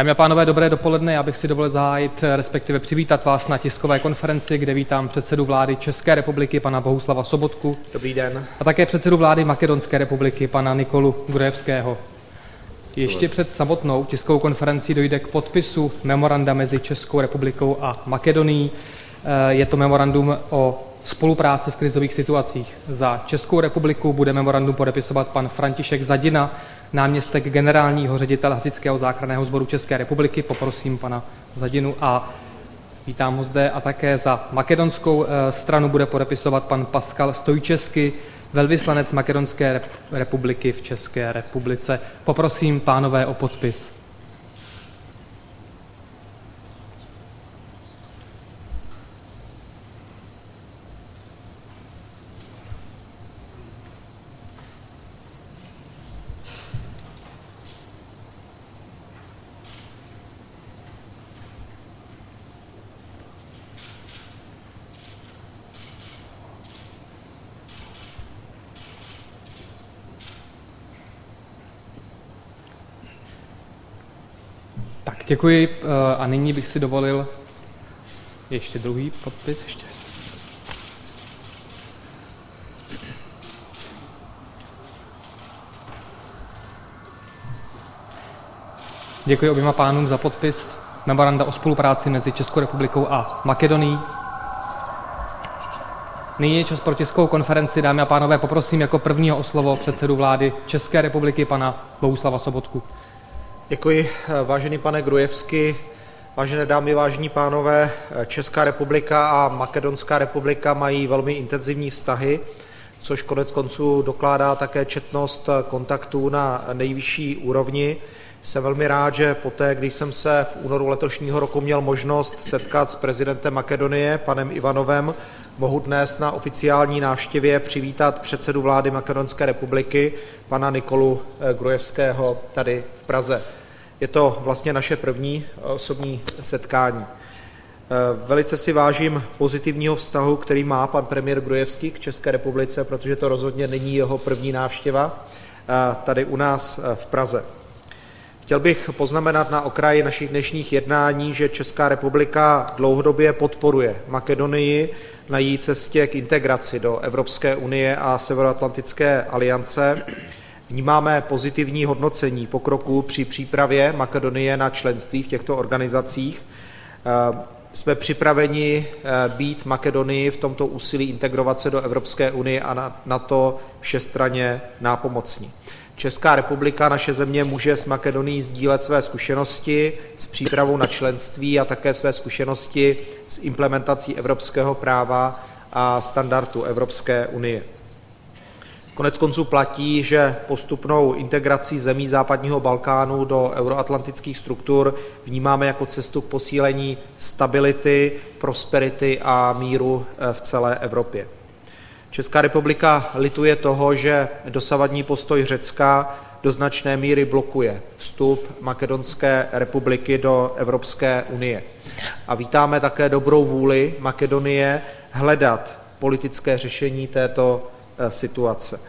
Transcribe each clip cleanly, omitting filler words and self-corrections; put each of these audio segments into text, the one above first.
Dámy a pánové, dobré dopoledne. Já bych si dovolil zahájit, respektive přivítat vás na tiskové konferenci, kde vítám předsedu vlády České republiky, pana Bohuslava Sobotku. Dobrý den. A také předsedu vlády Makedonské republiky, pana Nikolu Gruevského. Ještě před samotnou tiskovou konferencí dojde k podpisu memoranda mezi Českou republikou a Makedonií. Je to memorandum o spolupráci v krizových situacích. Za Českou republiku bude memorandum podepisovat pan František Zadina, náměstek generálního ředitele Hasičského záchranného sboru České republiky. Poprosím pana Zadinu a vítám ho zde. A také za makedonskou stranu bude podepisovat pan Pascal Stojčesky, velvyslanec Makedonské republiky v České republice. Poprosím pánové o podpis. Děkuji a nyní bych si dovolil ještě druhý podpis. Děkuji oběma pánům za podpis memoranda o spolupráci mezi Českou republikou a Makedonií. Nyní je čas pro tiskovou konferenci. Dámy a pánové, poprosím jako prvního o slovo předsedu vlády České republiky, pana Bohuslava Sobotku. Děkuji, vážený pane Gruevský, vážené dámy, vážení pánové. Česká republika a Makedonská republika mají velmi intenzivní vztahy, což konec konců dokládá také četnost kontaktů na nejvyšší úrovni. Jsem velmi rád, že poté, když jsem se v únoru letošního roku měl možnost setkat s prezidentem Makedonie, panem Ivanovem, mohu dnes na oficiální návštěvě přivítat předsedu vlády Makedonské republiky, pana Nikolu Gruevského, tady v Praze. Je to vlastně naše první osobní setkání. Velice si vážím pozitivního vztahu, který má pan premiér Gruevský k České republice, protože to rozhodně není jeho první návštěva tady u nás v Praze. Chtěl bych poznamenat na okraji našich dnešních jednání, že Česká republika dlouhodobě podporuje Makedonii na její cestě k integraci do Evropské unie a Severoatlantické aliance. Vnímáme pozitivní hodnocení pokroku při přípravě Makedonie na členství v těchto organizacích. Jsme připraveni být Makedonii v tomto úsilí integrovat se do Evropské unie a na to všestranně nápomocní. Česká republika, naše země, může s Makedonií sdílet své zkušenosti s přípravou na členství a také své zkušenosti s implementací evropského práva a standardů Evropské unie. Koneckonců platí, že postupnou integrací zemí západního Balkánu do euroatlantických struktur vnímáme jako cestu k posílení stability, prosperity a míru v celé Evropě. Česká republika lituje toho, že dosavadní postoj Řecka do značné míry blokuje vstup Makedonské republiky do Evropské unie. A vítáme také dobrou vůli Makedonie hledat politické řešení této situace.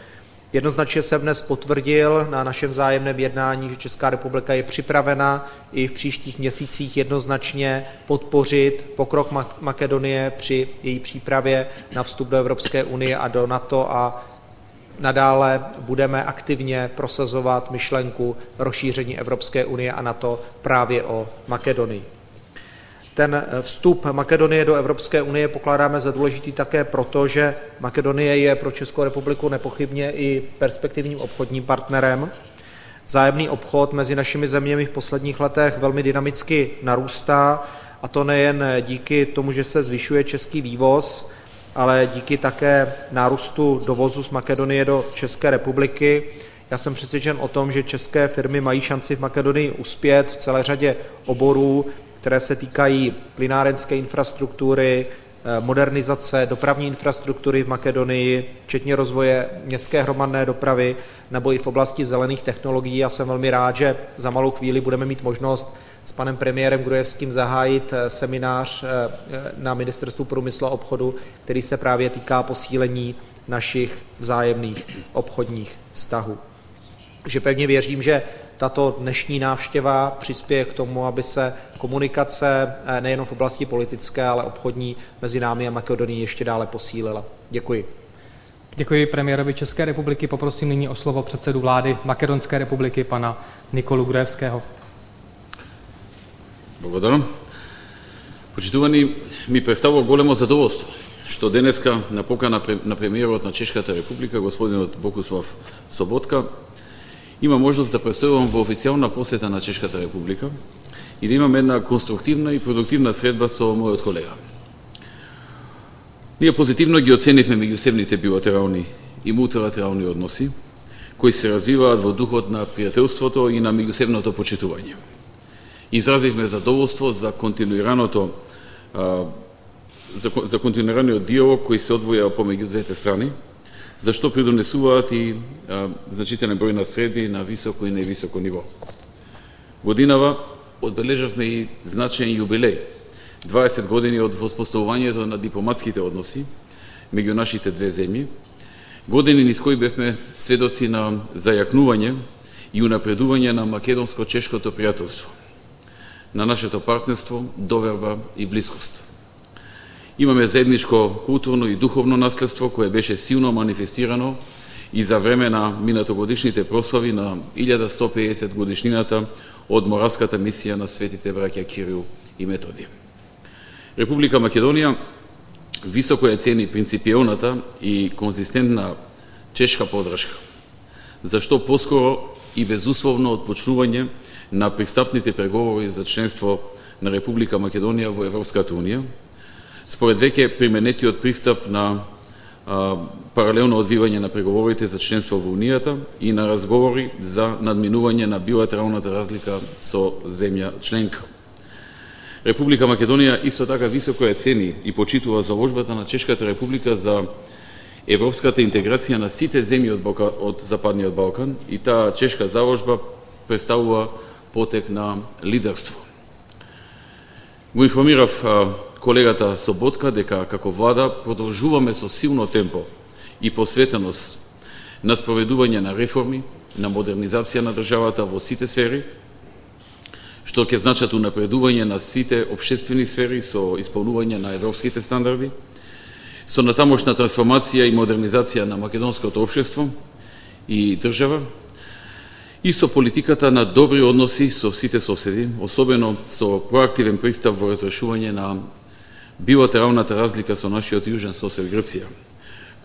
Jednoznačně jsem dnes potvrdil na našem vzájemném jednání, že Česká republika je připravena i v příštích měsících jednoznačně podpořit pokrok Makedonie při její přípravě na vstup do Evropské unie a do NATO a nadále budeme aktivně prosazovat myšlenku rozšíření Evropské unie a NATO právě o Makedonii. Ten vstup Makedonie do Evropské unie pokládáme za důležitý také proto, že Makedonie je pro Českou republiku nepochybně i perspektivním obchodním partnerem. Vzájemný obchod mezi našimi zeměmi v posledních letech velmi dynamicky narůstá, a to nejen díky tomu, že se zvyšuje český vývoz, ale díky také nárůstu dovozu z Makedonie do České republiky. Já jsem přesvědčen o tom, že české firmy mají šanci v Makedonii uspět v celé řadě oborů, které se týkají plynárenské infrastruktury, modernizace dopravní infrastruktury v Makedonii, včetně rozvoje městské hromadné dopravy nebo i v oblasti zelených technologií. Já jsem velmi rád, že za malou chvíli budeme mít možnost s panem premiérem Gruevským zahájit seminář na Ministerstvu průmyslu a obchodu, který se právě týká posílení našich vzájemných obchodních vztahů. Takže pevně věřím, že tato dnešní návštěva přispěje k tomu, aby se komunikace nejen v oblasti politické, ale obchodní mezi námi a Makedonií ještě dále posílila. Děkuji. Děkuji premiérovi České republiky. Poprosím nyní o slovo předsedu vlády Makedonské republiky, pana Nikolu Gruevského. Благодарам. Почитувани, ми представува големо задоволство што денеска на покана на премиерот на Чешката република, господинот Богуслав Соботка, има можност да престојувам во официјална посета на Чешката република и да имам една конструктивна и продуктивна средба со мојот колега. Ние позитивно ги оценивме меѓусебните билатерални и мултилатерални односи, кои се развиваат во духот на пријателството и на меѓусебното почитување. Изразивме задоволство за континуираниот диалог кој се одвоја помеѓу двете страни, за што придонесуваат и значителен број на средби на високо и невисоко ниво. Годинава одбележавме и значаен јубилеј, 20 години од воспоставувањето на дипломатските односи меѓу нашите две земји, години низ кои бевме сведоци на зајакнување и унапредување на македонско-чешкото пријателство, на нашето партнерство, доверба и блискост. Имаме заедничко културно и духовно наследство кое беше силно манифестирано и за време на минатогодишните прослави на 1150 годишнината од Моравската мисија на светите браќа Кирил и Методи. Република Македонија високо ја цени принципиелната и конзистентна чешка подршка, зашто поскоро и безусловно отпочнување на пристапните преговори за членство на Република Македонија во Европската Унија, според веќе применетиот пристап на паралелно одвивање на преговорите за членство во Унијата и на разговори за надминување на билатералната разлика со земја членка. Република Македонија исто така високо ја цени и почитува заложбата на Чешката република за европската интеграција на сите земји од Западниот Балкан и таа чешка заложба представува потек на лидерство. Го информирав колегата Соботка дека како влада продолжуваме со силно темпо и посветеност на спроведување на реформи, на модернизација на државата во сите сфери, што ќе значат унапредување на сите општествени сфери со исполнување на европските стандарди, со натамошна трансформација и модернизација на македонското општество и држава, и со политиката на добри односи со сите соседи, особено со проактивен пристап во разрешување на билатералната разлика со нашиот јужен сосед Грција,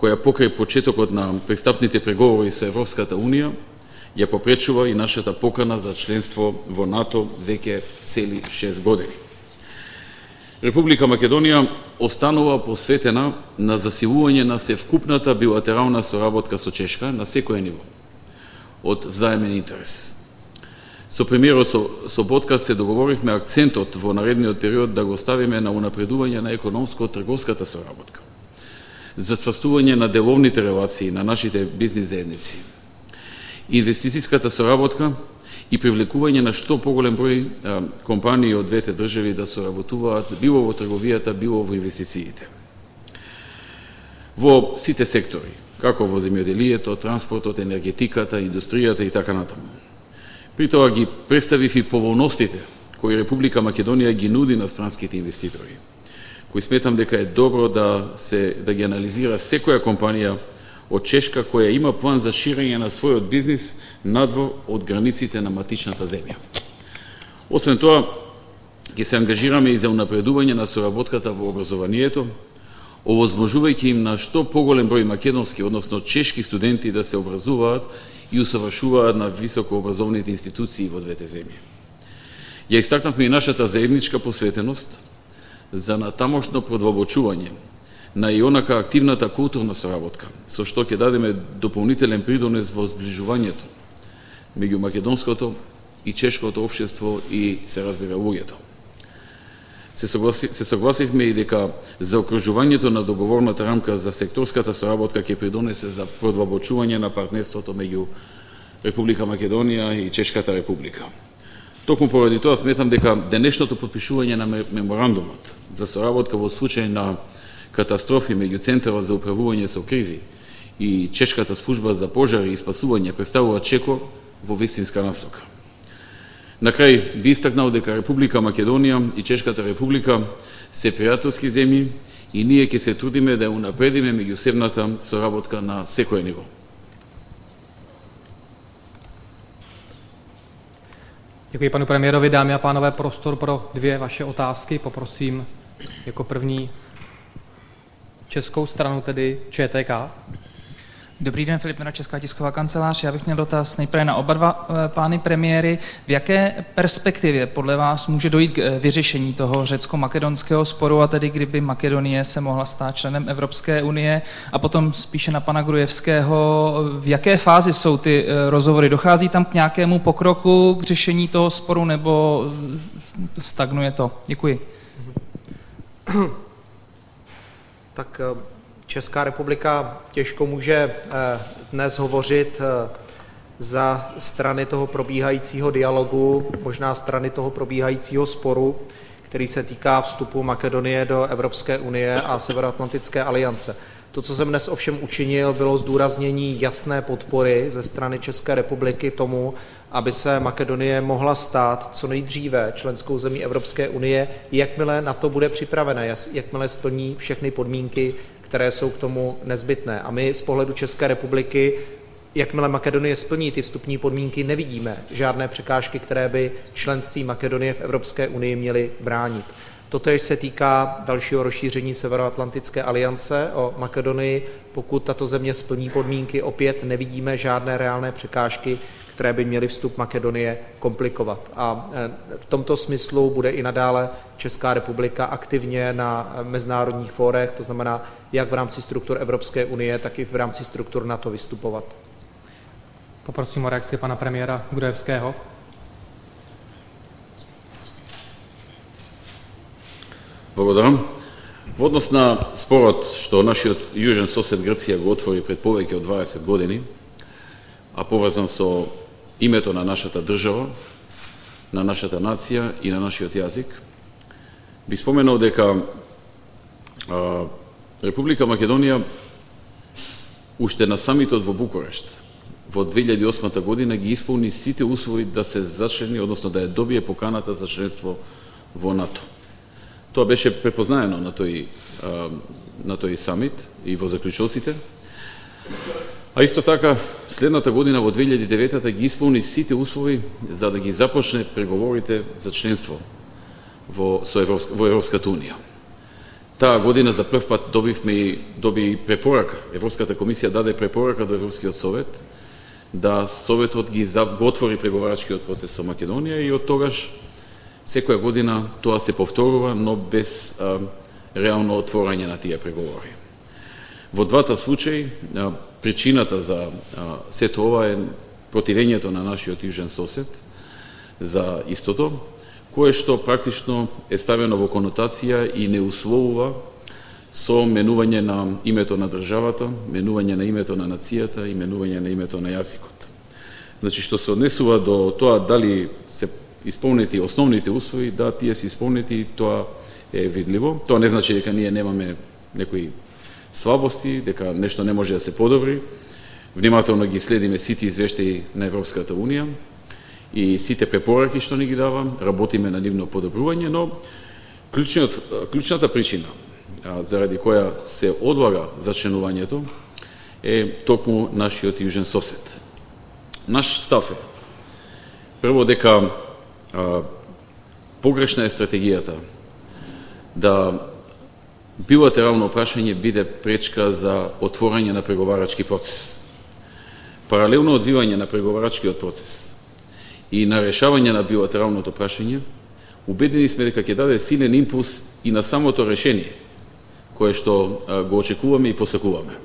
која покрај почетокот на пристапните преговори со Европската Унија ја попречува и нашата покана за членство во НАТО веќе цели 6 години. Република Македонија останува посветена на засилување на севкупната билатерална соработка со Чешка на секој ниво, од взаемен интерес. Со премиерот Соботка се договоривме акцентот во наредниот период да го ставиме на унапредување на економско-трговската соработка, за стварствување на деловните релации на нашите бизнис заедници, инвестицијската соработка и привлекување на што поголем број компании од двете држави да соработуваат било во трговијата, било во инвестициите. Во сите сектори, како во земјоделието, транспортот, енергетиката, индустријата и така натаму. При тоа ги представив и поволностите кои Република Македонија ги нуди на странските инвеститори, кои сметам дека е добро да ги анализира секоја компанија од Чешка која има план за ширење на својот бизнис надвор од границите на матичната земја. Освен тоа, ќе се ангажираме и за унапредување на соработката во образованието, овозможувајќи им на што поголем број македонски, односно чешки студенти да се образуваат и усовршуваат на високообразовните институции во двете земји. Ја истакнавме и нашата заедничка посветеност за натамошно продлабочување на и онака активната културна соработка, со што ќе дадеме дополнителен придонес во зближувањето меѓу македонското и чешкото општество и се разбира луѓето. Се согласивме и дека заокружувањето на договорната рамка за секторската соработка ќе придонесе за продлабочување на партнерството меѓу Република Македонија и Чешката република. Токму поради тоа сметам дека денешното подпишување на меморандумот за соработка во случај на катастрофи меѓу Центарот за управување со кризи и Чешката служба за пожари и спасување представува чекор во вистинска насока. На крај би истакнал дека Република Македонија и Чешката Република се пријателски земји и ние ќе се трудиме да ја унапредиме меѓусебната соработка на секое ниво. Děkuji panu premiérovi. Dámy a pánové, prostor pro 2 vaše otázky. Poprosím jako první českou stranu, tedy ČTK. Dobrý den, Filip Mera, Česká tisková kancelář. Já bych měl dotaz nejprve na oba dva pány premiéry. V jaké perspektivě podle vás může dojít k vyřešení toho řecko-makedonského sporu, a tedy kdyby Makedonie se mohla stát členem Evropské unie? A potom spíše na pana Gruevského, v jaké fázi jsou ty rozhovory? Dochází tam k nějakému pokroku, k řešení toho sporu, nebo stagnuje to? Děkuji. Tak Česká republika těžko může dnes hovořit za strany toho probíhajícího dialogu, možná strany toho probíhajícího sporu, který se týká vstupu Makedonie do Evropské unie a Severoatlantické aliance. To, co jsem dnes ovšem učinil, bylo zdůraznění jasné podpory ze strany České republiky tomu, aby se Makedonie mohla stát co nejdříve členskou zemí Evropské unie, jakmile na to bude připravena, jakmile splní všechny podmínky, které jsou k tomu nezbytné. A my z pohledu České republiky, jakmile Makedonie splní ty vstupní podmínky, nevidíme žádné překážky, které by členství Makedonie v Evropské unii měly bránit. Totéž se týká dalšího rozšíření Severoatlantické aliance o Makedonii. Pokud tato země splní podmínky, opět nevidíme žádné reálné překážky, které by měly vstup Makedonie komplikovat. A v tomto smyslu bude i nadále Česká republika aktivně na mezinárodních fórech, to znamená jak v rámci struktur Evropské unie, tak i v rámci struktur NATO vystupovat. Poprosím o reakci pana premiéra Gruevského. Благодарам. Во однос на спорот што нашиот јужен сосед Грција го отвори пред повеќе од 20 години, а поврзан со името на нашата држава, на нашата нација и на нашиот јазик, би споменал дека Република Македонија уште на самитот во Букурешт во 2008 година ги исполни сите услови да се зачлени, односно да ја добие поканата за членство во НАТО. Тоа беше препознаено на тој самит и во заклучоците. А исто така, следната година во 2009 ги исполни сите услови за да ги започне преговорите за членство во Европската унија. Таа година за прв пат доби препорака. Европската комисија даде препорака до Европскиот совет да советот ги отвори преговарачкиот процес со Македонија и од тогаш секоја година тоа се повторува, но без реално отворање на тие преговори. Во двата случаи, причината за сето ова е противењето на нашиот јужен сосед за истото, кое што практично е ставено во конотација и не условува со менување на името на државата, менување на името на нацијата и менување на името на јазикот. Значи, што се однесува до тоа дали се исполнети основните услови, да, тие се исполнети, тоа е видливо. Тоа не значи дека ние немаме некои слабости, дека нешто не може да се подобри. Внимателно ги следиме сите извештаи на Европската унија и сите препораки што ни ги дава, работиме на нивно подобрување, но клучната причина заради која се одлага зачленувањето е токму нашиот јужен сосед. Наш став е прво дека погрешна е стратегијата да билатерално прашање биде пречка за отворање на преговарачки процес. Паралелно одвивање на преговарачкиот процес и на решавање на билатералното прашање, убедени сме дека ќе даде силен импулс и на самото решение, кое што го очекуваме и посакуваме.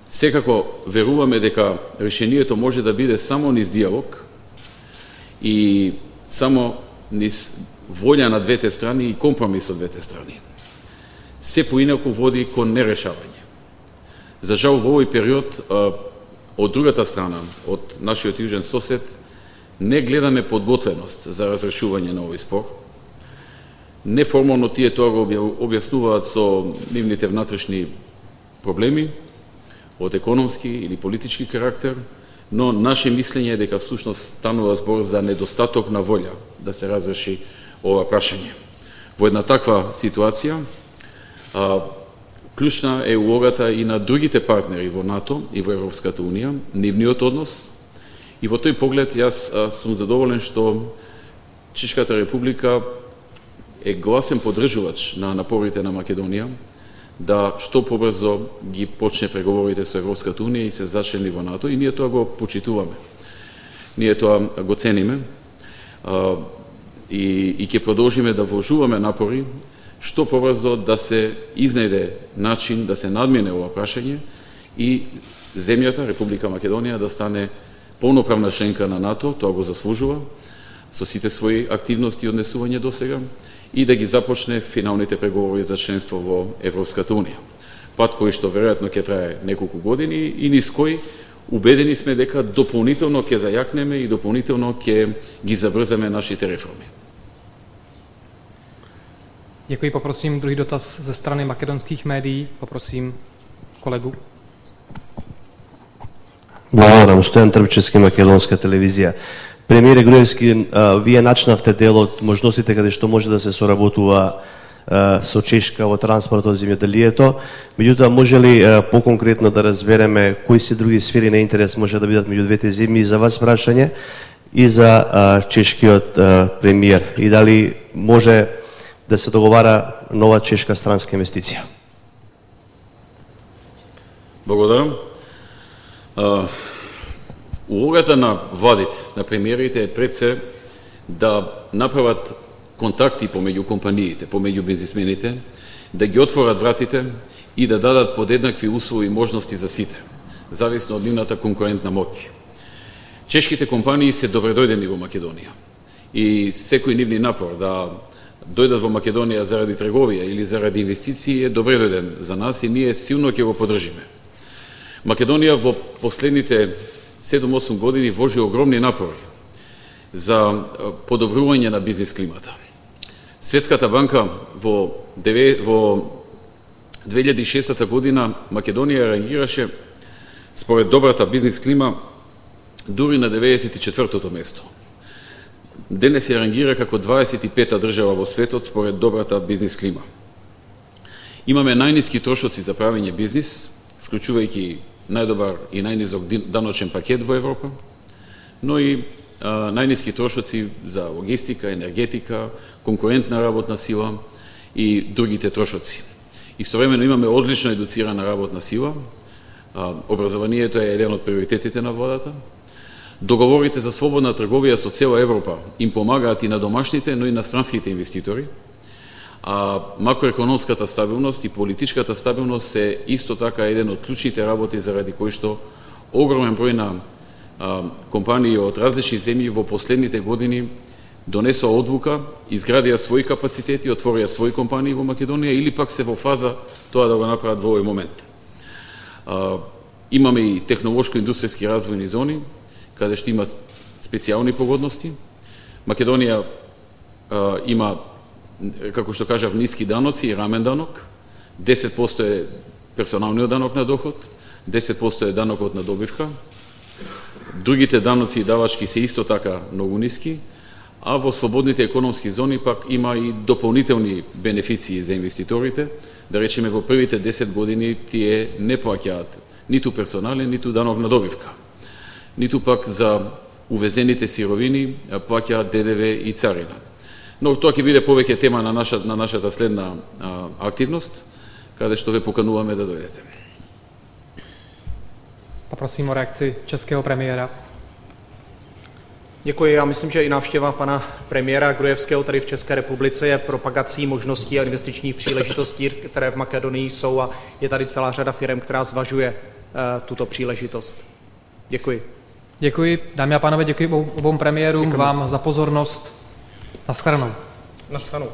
Секако веруваме дека решението може да биде само низ диалог и само низ волја на двете страни и компромис од двете страни. Се поинаку води кон нерешавање. За жал во овој период од другата страна, од нашиот јужен сосед, не гледаме подготвеност за разрешување на овој спор. Неформално тие тоа го објаснуваат со нивните внатрешни проблеми од економски или политички карактер, но наше мислење е дека всушност станува збор за недостаток на волја да се разреши ова прашање. Во една таква ситуација, клучна е улогата и на другите партнери во НАТО и во Европската Унија, нивниот однос, и во тој поглед јас сум задоволен што Чешката република е гласен поддржувач на напорите на Македонија да што побрзо ги почне преговорите со Европската Унија и се зачлени во НАТО, и ние тоа го почитуваме. Ние тоа го цениме и ќе продолжиме да вложуваме напори што побрзо да се изнајде начин да се надмине ова прашање и земјата, Република Македонија, да стане полноправна членка на НАТО, тоа го заслужува, со сите своји активности и однесување до сега, и да ги започне финалните преговори за членство во Европската Унија. Пат кој што веројатно ќе трае неколку години и низ кој убедени сме дека дополнително ќе зајакнеме и дополнително ќе ги забрзаме нашите реформи. Děkuji, poprosím druhý dotaz ze strany makedonských médií. Poprosím kolegu. Благодарам, Стојан Трбчевски, Македонска телевизија. Премиере Груевски, вие начнавте дел од можностите каде што може да се соработува со Чешка во транспортот, земјоделието. Меѓутоа, може ли поконкретно да разбереме кои се други сфери на интерес може да бидат меѓу двете земји, и за вас прашање и за чешкиот премиер, и дали може да се договара нова чешка странска инвестиција? Благодарам. Улогата на владите, на премиерите е пред се да направат контакти помеѓу компаниите, помеѓу бизнисмените, да ги отворат вратите и да дадат подеднакви услови и можности за сите, зависно од нивната конкурентна моќ. Чешките компании се добредојдени во Македонија и секој нивни напор да дојдат во Македонија заради трговија или заради инвестиции е добредојден за нас и ние силно ќе го поддржиме. Македонија во последните 7-8 години вложи огромни напори за подобрување на бизнис климата. Светската банка во 2006 година Македонија реагираше според добрата бизнис клима дури на 94-тото место. Денес се рангира како 25-та држава во светот според добрата бизнис клима. Имаме најниски трошоци за правење бизнис, вклучувајќи најдобар и најнизок даночен пакет во Европа, но и најниски трошоци за логистика, енергетика, конкурентна работна сила и другите трошоци. Истовремено имаме одлично едуцирана работна сила, образованието е еден од приоритетите на владата. Договорите за слободна трговија со цела Европа им помагаат и на домашните, но и на странските инвеститори. А макроекономската стабилност и политичката стабилност е исто така еден од клучните работи заради кои што огромен број на компании од различни земји во последните години донесоа одлука, изградија своји капацитети, отворија своји компании во Македонија или пак се во фаза тоа да го направат во овој момент. Имаме и технолошко-индустријски развојни зони, каде што има специјални погодности. Македонија има, како што кажав, ниски даноци и рамен данок. 10% е персоналниот данок на доход, 10% е данокот на добивка. Другите даноци и давачки се исто така многу ниски, а во слободните економски зони пак има и дополнителни бенефиции за инвеститорите. Да речеме, во првите 10 години тие не плаќаат ниту персонален, ниту данок на добивка, ниту пак за увезените сировини плаќаат ДДВ и царина. Но тоа ќе биде повеќе тема на нашата следна активност, каде што ве покануваме да дојдете. Poprosím o reakci českého premiéra. Děkuji. Já myslím, že i návštěva pana premiéra Gruevského tady v České republice je propagací možností a investičních příležitostí, které v Makedonii jsou, a je tady celá řada firem, která zvažuje tuto příležitost. Děkuji. Děkuji. Dámy a pánové, děkuji obou premiérům, vám za pozornost. Naschledanou. Naschledanou.